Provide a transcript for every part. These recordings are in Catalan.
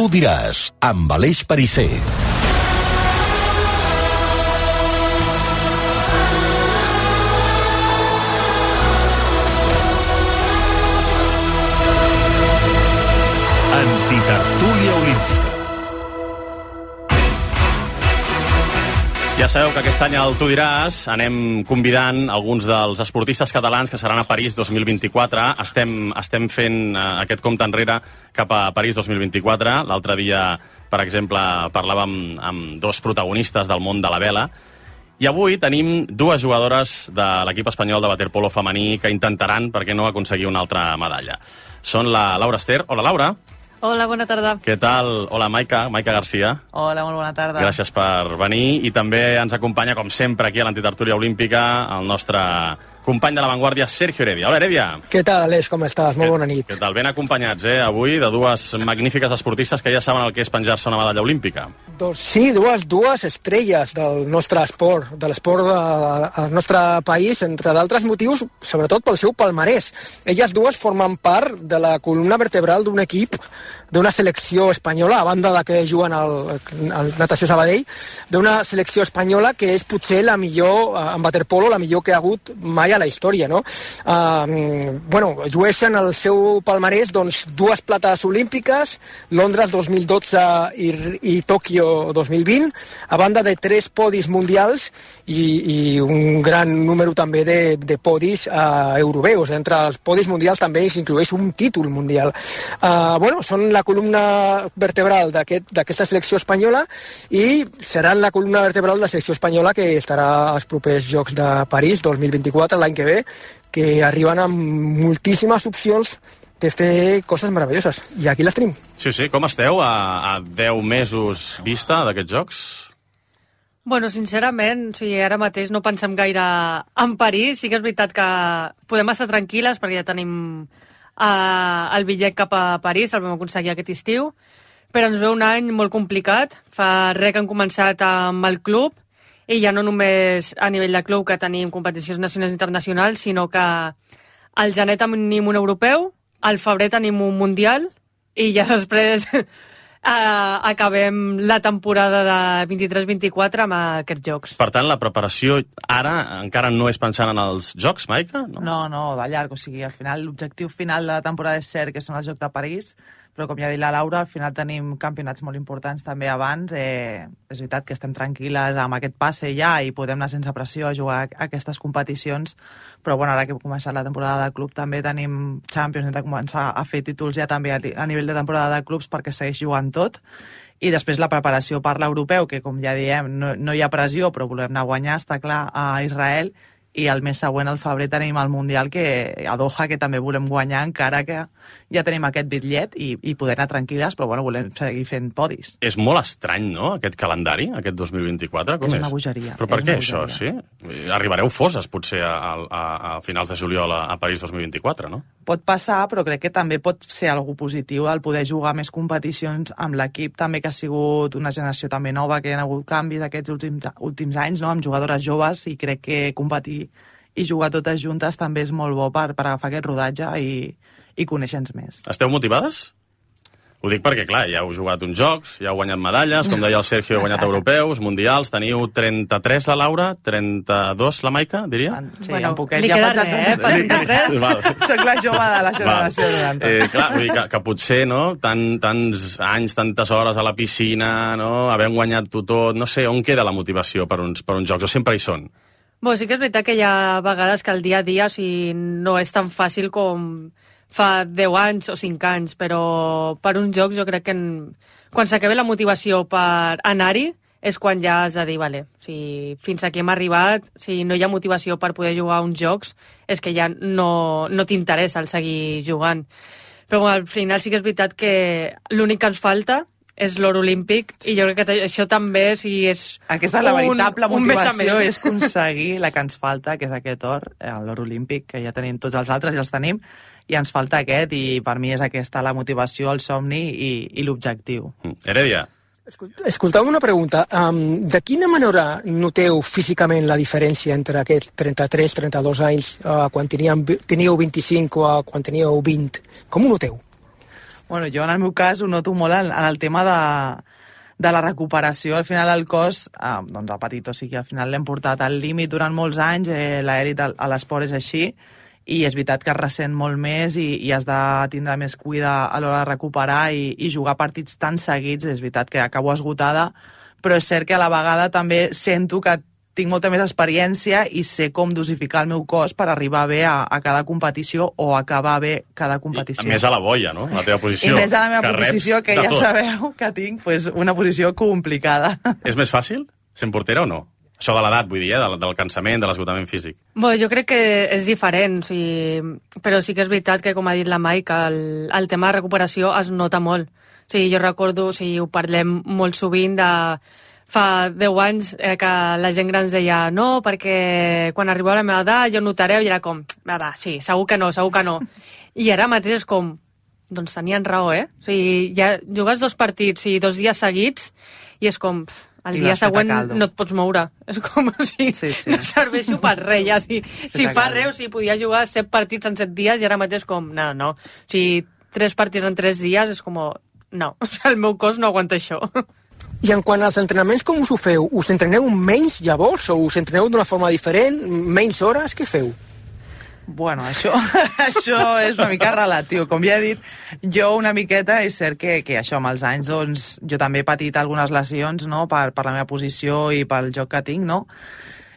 Tu diràs, amb Aleix Perisser. Antitertúlia olímpica. Ja sabeu que aquest any al Tu diràs anem convidant alguns dels esportistes catalans que seran a París 2024. Estem fent aquest compte enrere cap a París 2024. L'altre dia, per exemple, parlàvem amb dos protagonistes del món de la vela. I avui tenim dues jugadores de l'equip espanyol de waterpolo femení que intentaran, per què no, aconseguir una altra medalla. Són la Laura Ester. Hola, Laura. Hola, bona tarda. Què tal? Hola, Maica Garcia. Hola, molt bona tarda. Gràcies per venir. I també ens acompanya, com sempre, aquí a l'Antitertúlia Olímpica, el nostre company de l'avantguàrdia, Sergio Heredia. Hola, Heredia. Què tal, Aleix? Com estàs? Molt bona nit. Què tal? Ben acompanyats, avui, de dues magnífiques esportistes que ja saben el que és penjar-se una medalla olímpica. Doncs sí, dues estrelles del nostre esport, de l'esport del nostre país, entre d'altres motius, sobretot pel seu palmarès. Elles dues formen part de la columna vertebral d'un equip, d'una selecció espanyola, a banda de que juguen al Natació Sabadell, d'una selecció espanyola que és potser la millor, en waterpolo, la millor que ha hagut mai a la història, no? Llueixen el seu palmarès, doncs, dues plates olímpiques, Londres 2012 i Tòquio 2020, a banda de 3 podis mundials i un gran número també de podis europeus. Entre els podis mundials també s'inclueix un títol mundial. Són la columna vertebral d'aquesta selecció espanyola i seran la columna vertebral de la selecció espanyola que estarà als propers Jocs de París 2024, l'any que ve, que arriben amb moltíssimes opcions de fer coses meravelloses. I aquí les tenim. Sí, com esteu a 10 mesos vista d'aquests Jocs? Bueno, sincerament, ara mateix no pensem gaire en París. Sí que és veritat que podem estar tranquil·les perquè ja tenim el bitllet cap a París, el vam aconseguir aquest estiu, però ens ve un any molt complicat. Fa res que han començat amb el club, i ja no només a nivell de club que tenim competicions nacionals i internacionals, sinó que al gener tenim un europeu, al febrer tenim un mundial, i ja després acabem la temporada de 23-24 amb aquests Jocs. Per tant, la preparació ara encara no és pensant en els Jocs, Maica? No, de llarg. O sigui, al final, l'objectiu final de la temporada és cert que són els Jocs de París, però com ja ha dit la Laura, al final tenim campionats molt importants també abans. És veritat que estem tranquil·les amb aquest passe ja i podem anar sense pressió a jugar a aquestes competicions, però ara que hem començat la temporada de club també tenim Champions, hem de començar a fer títols ja també a nivell de temporada de clubs perquè segueix jugant tot. I després la preparació per l'europeu, que com ja diem, no hi ha pressió, però volem anar a guanyar, està clar, a Israel. I el mes següent, al febrer, tenim el Mundial a Doha, que també volem guanyar, encara que ja tenim aquest bitllet i poder anar tranquil·les, però volem seguir fent podis. És molt estrany, no?, aquest calendari, aquest 2024. Com és? És una bogeria. Però per què això, sí? Arribareu foses, potser, a finals de juliol a París 2024, no? Pot passar, però crec que també pot ser algú positiu el poder jugar més competicions amb l'equip, també que ha sigut una generació també nova, que hi ha hagut canvis aquests últims anys, no?, amb jugadores joves, i crec que competir i jugar totes juntes també és molt bo per agafar aquest rodatge i conèixer-nos més. Esteu motivades? Ho dic perquè, clar, ja heu jugat uns Jocs, ja heu guanyat medalles, com deia el Sergio, heu guanyat europeus, mundials, teniu 33 la Laura, 32 la Maica, diria? Sí, un poquet. Li queda res, per 33. Soc la jove de la generació 90. Clar, vull dir que potser, no?, tants anys, tantes hores a la piscina, no?, havent guanyat-ho tot, no sé, on queda la motivació per uns Jocs, o sempre hi són? Sí que és veritat que hi ha vegades que el dia a dia no és tan fàcil com fa 10 anys o 5 anys, però per uns Jocs jo crec que quan s'acabi la motivació per anar-hi és quan ja has de dir, vale, fins aquí hem arribat, si no hi ha motivació per poder jugar a uns Jocs, és que ja no t'interessa el seguir jugant. Però al final sí que és veritat que l'únic que ens falta és l'or olímpic, i jo crec que això també és aquesta és la veritable motivació, és aconseguir la que ens falta, que és aquest or, l'or olímpic, que ja tenim tots els altres, ja els tenim, i ens falta aquest, i per mi és aquesta la motivació, el somni i l'objectiu. Heredia. Escolteu una pregunta. De quina manera noteu físicament la diferència entre aquests 33-32 anys quan teníeu 25 o quan teníeu 20? Com ho noteu? Bueno, jo en el meu cas ho noto molt en el tema de la recuperació. Al final el cos doncs ha patit, o sigui, al final l'hem portat al límit durant molts anys, l'aèrit a l'esport és així, i és veritat que es ressent molt més i has de tindre més cuida a l'hora de recuperar i jugar partits tan seguits. És veritat que acabo esgotada, però és cert que a la vegada també sento que tinc molta més experiència i sé com dosificar el meu cos per arribar bé a cada competició o acabar bé cada competició. I més a la boia, no? La teva posició. I més a la meva posició, que ja sabeu que tinc una posició complicada. És més fàcil sent portera o no? Això de l'edat, vull dir, del cansament, de l'esgotament físic. Bé, jo crec que és diferent, però sí que és veritat que, com ha dit la Mai, que el tema de recuperació es nota molt. Jo recordo, ho parlem molt sovint de fa 10 anys que la gent gran ens deia no, perquè quan arribeu a la meva edat ja ho notareu, i era com, va, sí, segur que no. I ara mateix és com, doncs tenien raó, ja jugues 2 partits i 2 dies seguits i és com, el dia següent no et pots moure. És com, no serveixo per res, ja. Si fa res, podia jugar 7 partits en 7 dies i ara mateix com, no. 3 partits en 3 dies és com, no, el meu cos no aguanta això. I en quant als entrenaments, com us ho feu? Us entreneu menys llavors o us entreneu d'una forma diferent? Menys hores? Què feu? Bueno, això és una mica relatiu. Com ja he dit, jo una miqueta, és cert que això amb els anys, doncs, jo també he patit algunes lesions, no?, per la meva posició i pel joc que tinc, no?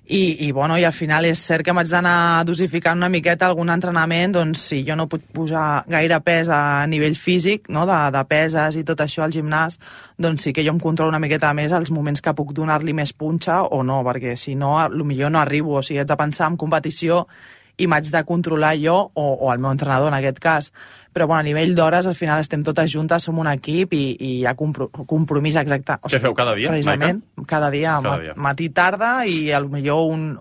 I al final és cert que m'haig d'anar dosificant una miqueta algun entrenament, doncs si jo no puc posar gaire pes a nivell físic, no?, de peses i tot això al gimnàs, doncs sí que jo em controlo una miqueta més els moments que puc donar-li més punxa o no, perquè si no, potser no arribo. O sigui, haig de pensar en competició i m'haig de controlar jo o el meu entrenador en aquest cas. Però a nivell d'hores al final estem totes juntes, som un equip i hi ha compromís exacte. Què feu cada dia, precisament, Maica? Cada dia, matí, tarda, i potser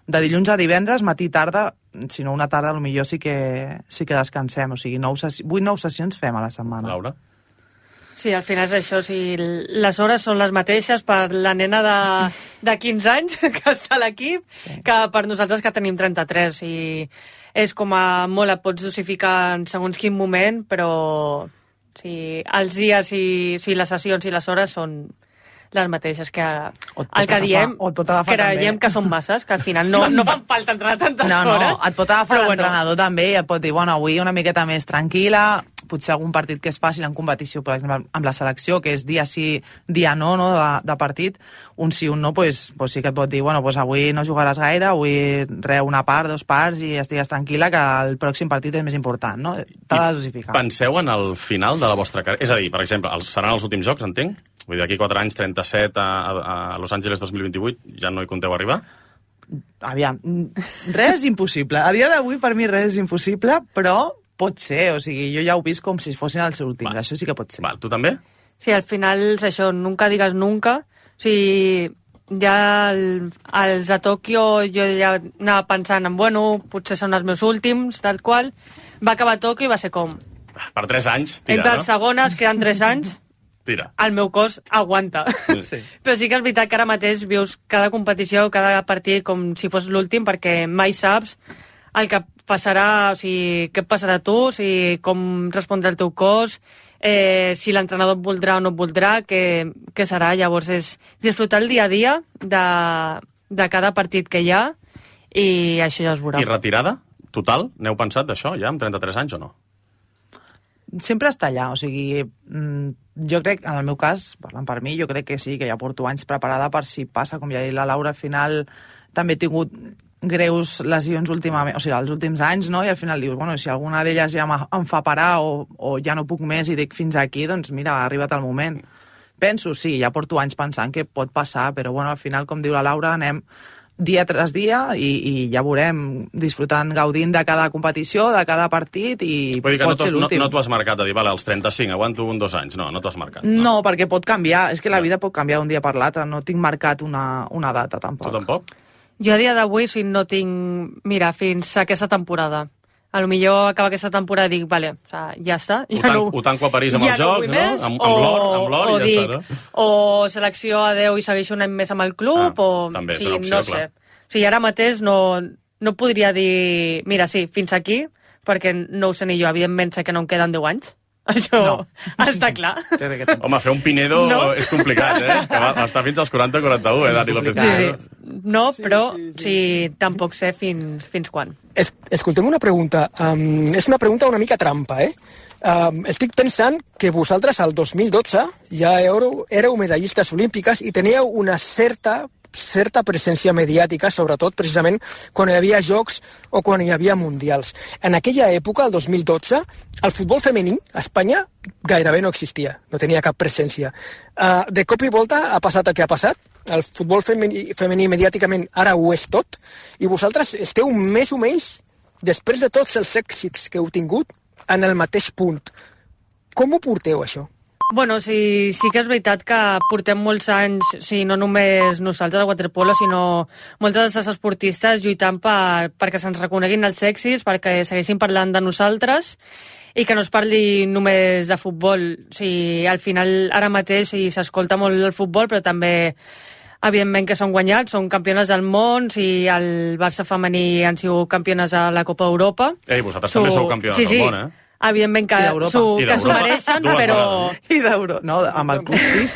de dilluns a divendres, matí, tarda, si no una tarda, potser sí que descansem. O sigui, 8-9 sessions fem a la setmana. Laura? Sí, al final és això, les hores són les mateixes per la nena de 15 anys que està a l'equip que per nosaltres que tenim 33, i és com a molt, et pots dosificar en segons quin moment, però els dies i les sessions i les hores són les mateixes que el que diem, creiem que són masses, que al final no fan falta entrenar tantes hores. No, et pot agafar l'entrenador també i et pot dir, avui una miqueta més tranquil·la, potser algun partit que és fàcil en competició, per exemple, amb la selecció, que és dia sí, dia no, de partit, un sí, un no, doncs sí que et pot dir, avui no jugaràs gaire, avui una part, 2 parts, i estigues tranquil·la que el pròxim partit és més important, no? T'ha de dosificar. Penseu en el final de la vostra carrera? És a dir, per exemple, seran els últims jocs, entenc? Vull dir, d'aquí 4 anys, 37 a Los Angeles 2028, ja no hi compteu arribar? Aviam, res és impossible. A dia d'avui, per mi, res és impossible, però pot ser. O sigui, jo ja ho he vist com si fossin els últims. Això sí que pot ser. Val, tu també? Sí, al final és això, nunca digues nunca. O sigui, ja els de Tòquio jo ja anava pensant en, potser són els meus últims, tal qual. Va acabar Tòquio i va ser com... Per 3 anys, tira, entre els segones, queden 3 anys, tira. El meu cos aguanta. Sí. Però sí que és veritat que ara mateix vius cada competició, cada partit com si fos l'últim, perquè mai saps el que passarà, què et passarà a tu, com respondrà el teu cos, si l'entrenador et voldrà o no et voldrà, què serà. Llavors és disfrutar el dia a dia de cada partit que hi ha, i això ja es veurà. I retirada total? N'heu pensat d'això ja, amb 33 anys o no? Sempre està allà, o sigui, jo crec, en el meu cas, parlant per mi, jo crec que sí, que ja porto anys preparada per si passa, com ja ha dit la Laura, al final també he tingut greus lesions últimament, o sigui, els últims anys, no? I al final dius, si alguna d'elles ja em fa parar o ja no puc més i dic fins aquí, doncs mira, ha arribat el moment. Penso, sí, ja porto anys pensant que pot passar, però al final, com diu la Laura, anem dia tras dia i ja veurem, disfrutant, gaudint de cada competició, de cada partit, i pot ser l'últim. No t'ho has marcat a dir, vale, als 35, aguanto 2 anys. No t'ho has marcat. No, perquè pot canviar. És que la vida pot canviar d'un dia per l'altre. No tinc marcat una data, tampoc. Tu tampoc? Jo a dia d'avui no tinc... Mira, fins a aquesta temporada. A lo millor acaba aquesta temporada i dic, vale, ja està. Ho tanco a París amb els jocs, no? Amb l'or i ja està, no? O selecció a 10 i segueixo un any més amb el club, també és una opció, no sé. O sigui, ara mateix no podria dir, mira, sí, fins aquí, perquè no ho sé ni jo. Evidentment sé que no em queden 10 anys, Això està clar. Home, fer un Pinedo és complicat, que va estar fins als 40-41, Dani López. Sí. No, però sí, tampoc sé fins quan. Escoltem una pregunta. És una pregunta una mica trampa, estic pensant que vosaltres al 2012 ja éreu medallistes olímpiques i teníeu una certa presència mediàtica, sobretot precisament quan hi havia jocs o quan hi havia mundials. En aquella època, el 2012, el futbol femení a Espanya gairebé no existia, no tenia cap presència. De cop i volta ha passat el que ha passat, el futbol femení mediàticament ara ho és tot, i vosaltres esteu més o menys, després de tots els èxits que heu tingut, en el mateix punt. Com ho porteu, això? Bueno, sí que és veritat que portem molts anys, no només nosaltres al waterpolo, sinó moltes de les esportistes lluitant perquè se'ns reconeguin els èxits, perquè segueixin parlant de nosaltres i que no es parli només de futbol. Al final, ara mateix s'escolta molt el futbol, però també evidentment que són guanyats, són campiones del món, el Barça femení han sigut campiones de la Copa Europa. Vosaltres també sou campiones del món, Evidentment que s'ho mereixen, però... I d'Euro, no, amb el Club 6,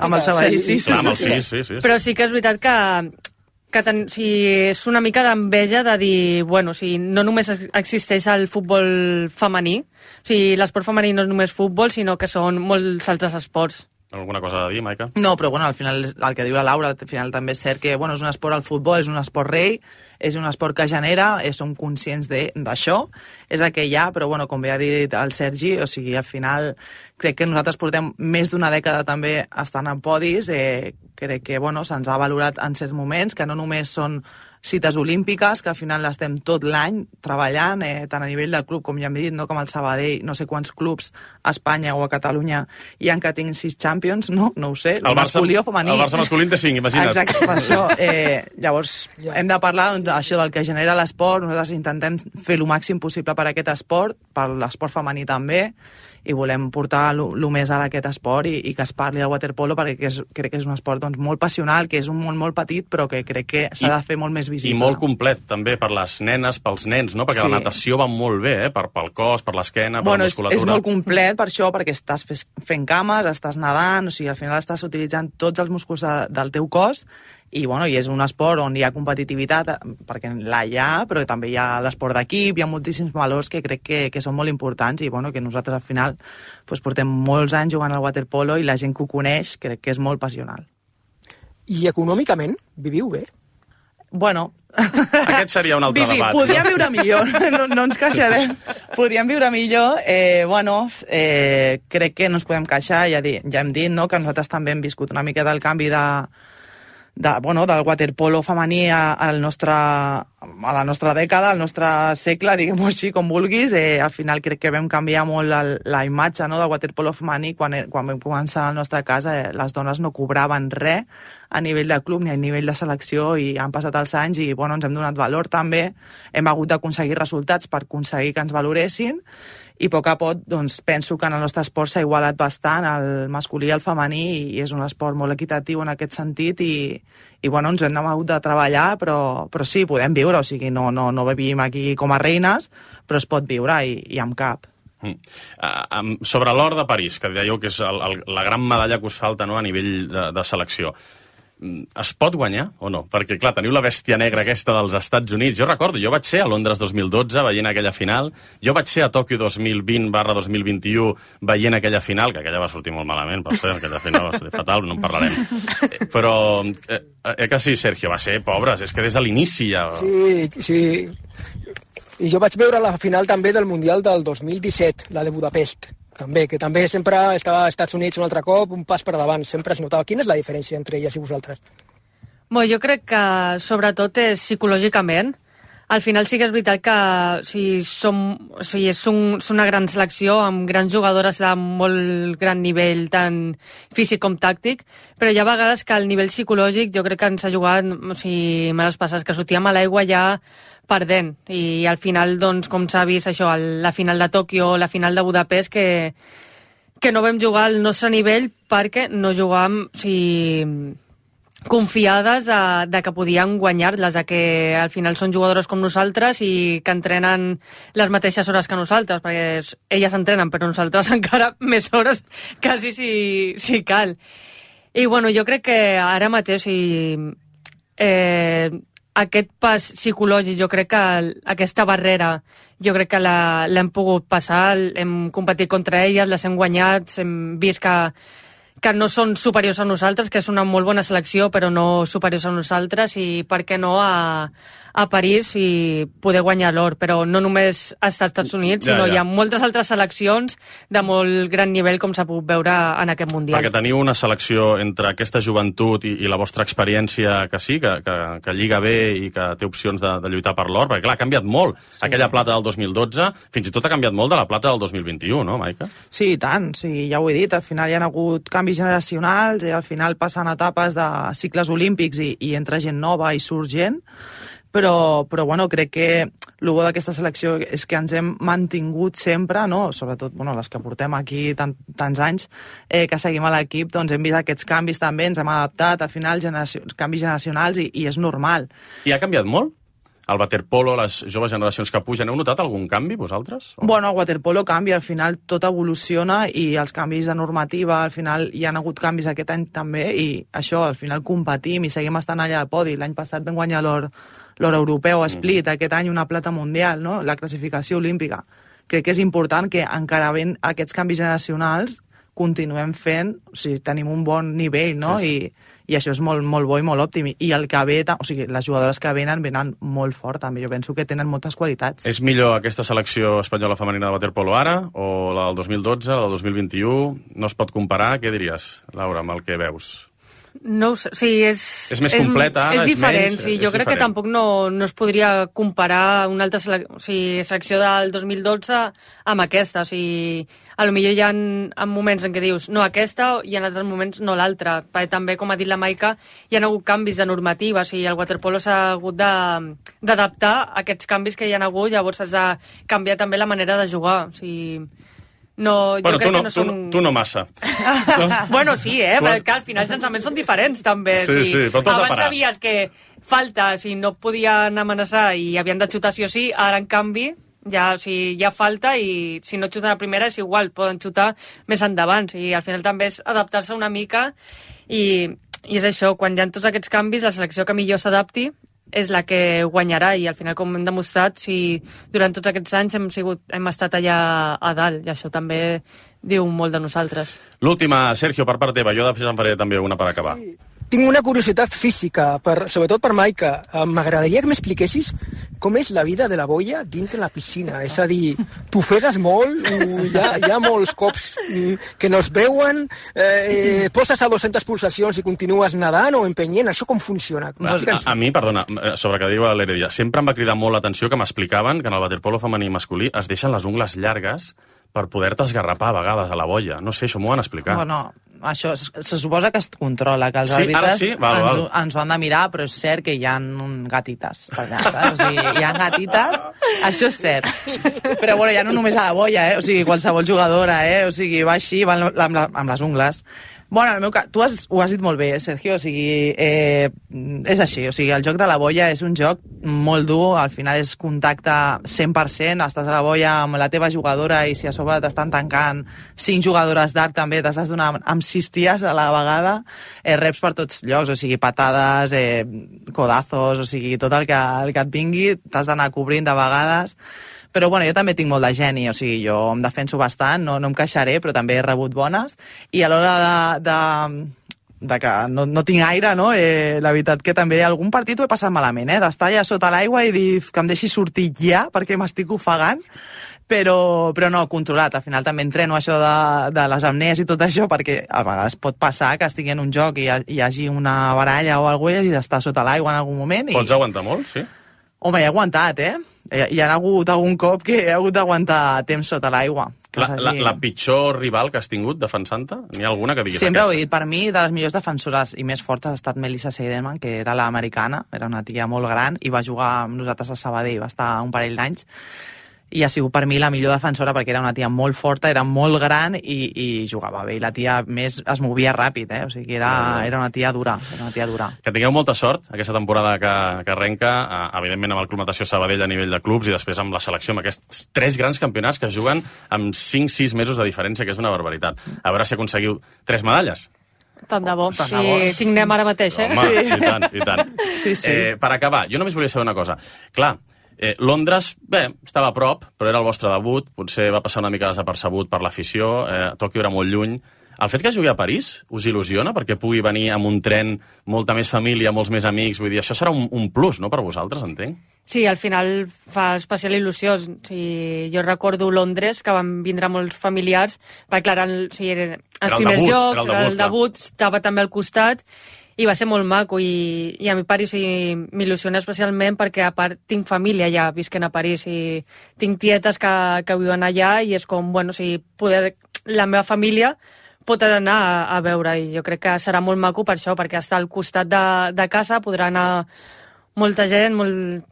amb el Sabadell 6. Clar, amb el 6. Però sí que és veritat que és una mica d'enveja de dir, no només existeix el futbol femení, l'esport femení no és només futbol, sinó que són molts altres esports. Alguna cosa a dir, Maica? No, però al final el que diu la Laura, al final també és cert que és un esport al futbol, és un esport rei, és un esport que genera, som conscients d'això, és el que hi ha, però com bé ha dit el Sergi, al final crec que nosaltres portem més d'una dècada també estant en podis, crec que se'ns ha valorat en certs moments, que no només són cites olímpiques, que al final l'estem tot l'any treballant, tant a nivell del club, com ja hem dit, com el Sabadell, no sé quants clubs a Espanya o a Catalunya hi ha que tinc 6 Champions, no ho sé, el masculí o femení. El Barça masculí té 5, imagina't. Exacte, per això. Llavors, hem de parlar d'això del que genera l'esport, nosaltres intentem fer el màxim possible per aquest esport, per l'esport femení també, i volem portar el més ara a aquest esport i que es parli del waterpolo perquè crec que és un esport molt passional, que és un món molt petit però que crec que s'ha de fer molt més visible. I molt complet també per les nenes, pels nens, no? Perquè la natació va molt bé, pel cos, per l'esquena, per la musculatura. És molt complet per això, perquè estàs fent cames, estàs nedant, al final estàs utilitzant tots els músculs del teu cos i és un esport on hi ha competitivitat, perquè hi ha, però també hi ha l'esport d'equip, hi ha moltíssims valors que crec que són molt importants i que nosaltres al final portem molts anys jugant al waterpolo i la gent que ho coneix crec que és molt passional. I econòmicament viviu bé? Aquest seria un altre debat. Podríem viure millor, no ens queixarem. Podríem viure millor. Crec que no ens podem queixar, ja hem dit que nosaltres també hem viscut una mica del canvi del waterpolo femení a la nostra dècada, al nostre segle, diguem-ho així, com vulguis. Al final crec que vam canviar molt la imatge del waterpolo femení. Quan vam començar a la nostra casa, les dones no cobraven res a nivell de club ni a nivell de selecció i han passat els anys i ens hem donat valor també. Hem hagut d'aconseguir resultats per aconseguir que ens valoressin i a poc a poc penso que en el nostre esport s'ha igualat bastant el masculí i el femení i és un esport molt equitatiu en aquest sentit i ens hem hagut de treballar però sí, podem viure, no vivim aquí com a reines, però es pot viure i amb cap. Sobre l'or de París, que dèieu que és la gran medalla que us falta a nivell de selecció, es pot guanyar o no? Perquè, clar, teniu la bèstia negra aquesta dels Estats Units. Jo recordo, jo vaig ser a Londres 2012 veient aquella final, jo vaig ser a Tòquio 2020/2021 veient aquella final, que aquella va sortir molt malament, per cert, aquella final va sortir fatal, no en parlarem. Però, que sí, Sergio, va ser, pobres, és que des de l'inici ja... Sí. I jo vaig veure la final també del Mundial del 2017, la de Budapest. També, que també sempre estava als Estats Units un altre cop, un pas per davant, sempre es notava. Quina és la diferència entre elles i vosaltres? Jo crec que sobretot és psicològicament. Al final sí que és veritat que és una gran selecció amb grans jugadores de molt gran nivell, tant físic com tàctic, però hi ha vegades que el nivell psicològic jo crec que ens ha jugat males passes, que sortíem a l'aigua ja perdent i al final, com s'ha vist això, la final de Tòquio, la final de Budapest, que no vam jugar al nostre nivell perquè no jugàvem confiades de que podien guanyar-les, de que al final són jugadores com nosaltres i que entrenen les mateixes hores que nosaltres, perquè elles entrenen, però nosaltres encara més hores, quasi si cal. I bueno, jo crec que ara mateix aquest pas psicològic, jo crec que aquesta barrera, jo crec que l'hem pogut passar, hem competit contra elles, les hem guanyat, hem vist que no són superiors a nosaltres, que és una molt bona selecció, però no superiors a nosaltres, i per què no a París i poder guanyar l'or. Però no només als Estats Units, sinó hi ha moltes altres seleccions de molt gran nivell, com s'ha pogut veure en aquest Mundial. Perquè teniu una selecció entre aquesta joventut i la vostra experiència que sí, que lliga bé i que té opcions de lluitar per l'or, perquè clar, ha canviat molt. Sí. Aquella plata del 2012, fins i tot ha canviat molt de la plata del 2021, no, Maica? Sí, i tant, sí, ja ho he dit, al final hi ha hagut canvis generacionals i al final passen etapes de cicles olímpics i entra gent nova i surt gent, però bueno, crec que el bo d'aquesta selecció és que ens hem mantingut sempre, no? Sobretot les que portem aquí tants anys que seguim a l'equip, doncs hem vist aquests canvis també, ens hem adaptat, al final canvis generacionals i és normal. I ha canviat molt? El waterpolo, les joves generacions que pugen, heu notat algun canvi, vosaltres? Bueno, el waterpolo canvia, al final tot evoluciona i els canvis de normativa, al final hi ha hagut canvis aquest any també i això, al final competim i seguim estant allà al podi. L'any passat vam guanyar l'or europeu a Split, aquest any una plata mundial, no? La classificació olímpica. Crec que és important que encara ben aquests canvis generacionals continuem fent, o sigui, tenim un bon nivell, no? Sí. I això és molt, molt bo i molt òptim. I el que ve, o sigui, les jugadores que venen molt fort, també. Jo penso que tenen moltes qualitats. És millor aquesta selecció espanyola femenina de waterpolo ara, o la del 2012, la del 2021? No es pot comparar? Què diries, Laura, amb el que veus? No ho sé, o sigui, és més completa, és diferent, menys, sí, jo crec que tampoc no es podria comparar una altra selecció del 2012 amb aquesta, o sigui, potser hi ha moments en què dius no aquesta i en altres moments no l'altra, perquè també, com ha dit la Maica, hi ha hagut canvis de normativa, o sigui, el waterpolo s'ha hagut d'adaptar a aquests canvis que hi ha hagut, llavors has de canviar també la manera de jugar, o sigui... No, jo crec que no són... Tu no massa. Bueno, sí, perquè al final els llançaments són diferents, també. Sí, però tu has de parar. Abans sabies que falta, si no podien amenaçar i havien de xutar sí o sí, ara, en canvi, ja falta i si no xuten a primera és igual, poden xutar més endavant. I al final també és adaptar-se una mica i és això, quan hi ha tots aquests canvis, la selecció que millor s'adapti és la que guanyarà i al final, com hem demostrat, durant tots aquests anys hem estat allà a dalt i això també diu molt de nosaltres. L'última, Sergio, per part teva, jo després en faré també una per acabar. Sí. Tinc una curiositat física, sobretot per Maica. M'agradaria que m'expliquessis com és la vida de la boia dintre la piscina. És a dir, t'ofegues molt, hi ha molts cops que no es veuen, poses a 200 pulsacions i continues nedant o empenyent. Això com funciona? A mi, perdona, sobre que diu l'Heredia, sempre em va cridar molt l'atenció que m'explicaven que en el waterpolo femení i masculí es deixen les ungles llargues per poder-te esgarrapar a vegades a la boia. No sé, això m'ho van explicar. Bueno, això se suposa que es controla, que els àrbitres ens ho han de mirar, però és cert que hi ha gatites per allà, saps? O sigui, hi ha gatites, això és cert. Però bueno, ja no només a la boia, o sigui, qualsevol jugadora, o sigui, va així, va amb les ungles. Bueno, en el meu cas, tu ho has dit molt bé, Sergio, o sigui, és així, o sigui, el joc de la boia és un joc molt dur, al final és contacte 100%, estàs a la boia amb la teva jugadora i si a sobre t'estan tancant 5 jugadores d'arc també, t'estàs donant amb 6 ties a la vegada, reps per tots llocs, o sigui, patades, codazos, o sigui, tot el que et vingui, t'has d'anar cobrint de vegades. Però bueno, jo també tinc molt de geni, o sigui, jo em defenso bastant, no em queixaré, però també he rebut bones, i a l'hora de que no tinc aire, no? La veritat que també algun partit ho he passat malament, d'estar allà sota l'aigua i dir que em deixi sortir ja, perquè m'estic ofegant, però no, controlat. Al final també entreno això de les apnees i tot això, perquè a vegades pot passar que estigui en un joc i hi hagi una baralla o alguna cosa i d'estar sota l'aigua en algun moment. Pots aguantar molt, sí? Home, he aguantat, Hi ha hagut algun cop que he hagut d'aguantar temps sota l'aigua. La pitjor rival que has tingut defensant-te? N'hi ha alguna que diguis Sempre aquesta? Ho he dit, per mi, de les millors defensores i més fortes ha estat Melissa Seidemann, que era l'americana, era una tia molt gran i va jugar amb nosaltres a Sabadell, va estar un parell d'anys. i ha sigut per mi la millor defensora perquè era una tia molt forta, era molt gran i jugava bé, i la tia més es movia ràpid, o sigui que era una tia dura, Que tingueu molta sort aquesta temporada que arrenca, evidentment amb el Club Natació Sabadell a nivell de clubs i després amb la selecció, amb aquests 3 grans campionats que es juguen amb 5-6 mesos de diferència, que és una barbaritat. A veure si aconseguiu 3 medalles. Tant de bo. Si signem ara mateix, Home, sí. I tant. Sí. Per acabar, jo només volia saber una cosa. Clar, Londres, bé, estava a prop, però era el vostre debut, potser va passar una mica desapercebut per l'afició, Tòquio era molt lluny. El fet que jugui a París us il·lusiona perquè pugui venir amb un tren, molta més família, molts més amics, vull dir, això serà un plus, no?, per vosaltres, entenc? Sí, al final fa especial il·lusió. Jo recordo Londres, que van vindre molts familiars, perquè clar, eren els primers jocs, el debut, estava també al costat, i va ser molt maco, i a mi París m'il·lusiona especialment perquè a part tinc família allà, visquent a París, i tinc tietes que viuen allà, i és com, bueno, la meva família pot anar a veure, i jo crec que serà molt maco per això, perquè està al costat de casa, podrà anar molta gent, molt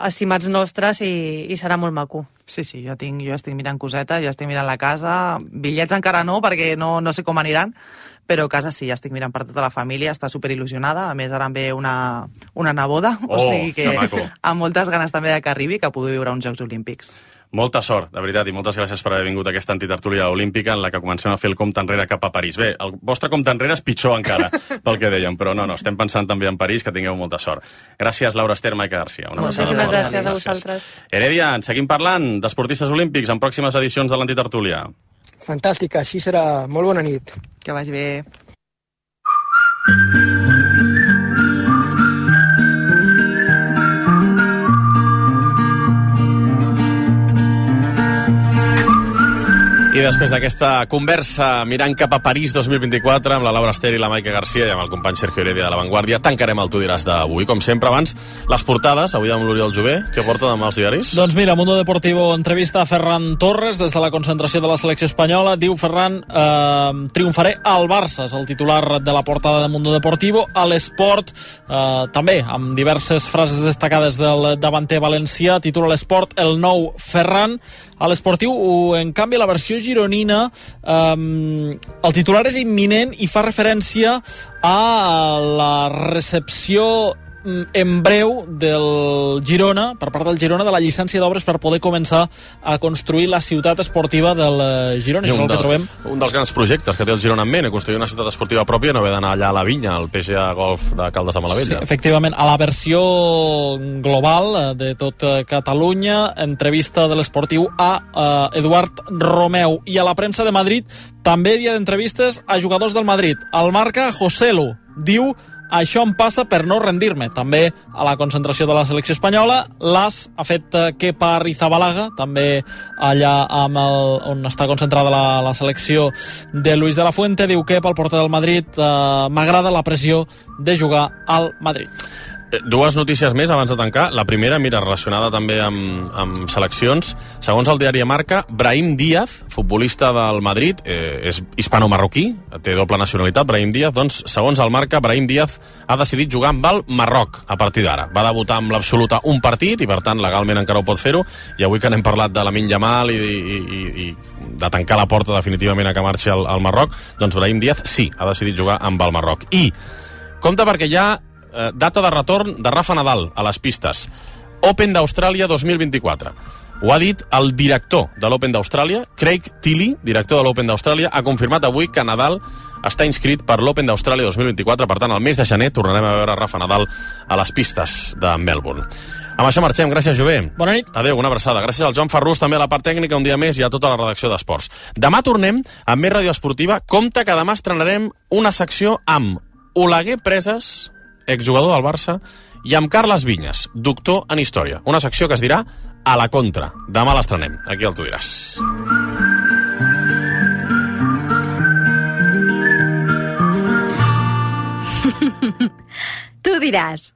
estimats nostres, i serà molt maco. Sí, jo estic mirant cosetes, jo estic mirant la casa, bitllets encara no, perquè no sé com aniran, però casa sí, ja estic mirant per tota la família, està superil·lusionada, a més ara em ve una neboda, o sigui que amb moltes ganes també que arribi, que pugui viure uns Jocs Olímpics. Molta sort, de veritat, i moltes gràcies per haver vingut a aquesta antitertúlia olímpica en la que comencem a fer el compte enrere cap a París. Bé, el vostre compte enrere és pitjor encara, pel que dèiem, però no, estem pensant també en París, que tingueu molta sort. Gràcies, Laura Ester, Maica Garcia. Moltíssimes gràcies a vosaltres. Heredia, en seguim parlant d'esportistes olímpics en pròximes edicions de l'antitertúlia. Fantàstica, així serà. Molt bona nit. Que vagi bé. I després d'aquesta conversa mirant cap a París 2024 amb la Laura Ester i la Maica Garcia i amb el company Sergio Heredia de La Vanguardia, tancarem el Tu diràs d'avui. Com sempre, abans, les portades, avui amb l'Oriol Jové, què porta demà als diaris? Doncs mira, Mundo Deportivo entrevista a Ferran Torres des de la concentració de la selecció espanyola. Diu Ferran, triomfaré al Barça, és el titular de la portada de Mundo Deportivo. A l'Esport, també, amb diverses frases destacades del davanter valencià, titula l'Esport el nou Ferran. A l'Esportiu, en canvi, la versió gironina, el titular és imminent i fa referència a la recepció en breu del Girona, per part del Girona, de la llicència d'obres per poder començar a construir la ciutat esportiva del Girona. Un dels grans projectes que té el Girona en ment, construir una ciutat esportiva pròpia, no haver d'anar allà a la Vinya, al PGA Golf de Caldes de Malavella. Sí, efectivament, a la versió global de tot Catalunya, entrevista de l'Esportiu a Eduard Romeu. I a la premsa de Madrid, també dia d'entrevistes a jugadors del Madrid. Al Marca, Joselu diu: això em passa per no rendir-me. També a la concentració de la selecció espanyola, l'AS ha fet Kepa Arrizabalaga, també allà on està concentrada la selecció de Luis de la Fuente. Diu Kepa, el porter del Madrid, m'agrada la pressió de jugar al Madrid. Dues notícies més abans de tancar. La primera, mira, relacionada també amb seleccions. Segons el diari Marca, Brahim Díaz, futbolista del Madrid, és hispano-marroquí, té doble nacionalitat, Brahim Díaz, doncs, segons el Marca, Brahim Díaz ha decidit jugar amb el Marroc a partir d'ara. Va debutar amb l'absoluta un partit i, per tant, legalment encara ho pot fer-ho. I avui que n'hem parlat de Lamine Yamal i de tancar la porta definitivament a que marxi al Marroc, doncs Brahim Díaz sí, ha decidit jugar amb el Marroc. I compte perquè hi ha data de retorn de Rafa Nadal a les pistes. Open d'Austràlia 2024. Ho ha dit el director de l'Open d'Austràlia, Craig Tiley, director de l'Open d'Austràlia, ha confirmat avui que Nadal està inscrit per l'Open d'Austràlia 2024. Per tant, al mes de gener tornarem a veure Rafa Nadal a les pistes de Melbourne. Amb això marxem. Gràcies, Jové. Bona nit. Adéu, una abraçada. Gràcies al Joan Ferrús, també a la part tècnica, un dia més, i a tota la redacció d'Esports. Demà tornem amb més ràdio esportiva. Compte que demà estrenarem una secció amb Oleguer Presas, exjugador del Barça, i amb Carles Vinyes, doctor en història. Una secció que es dirà A la Contra. Demà l'estrenem. Aquí el Tu diràs. Tu diràs.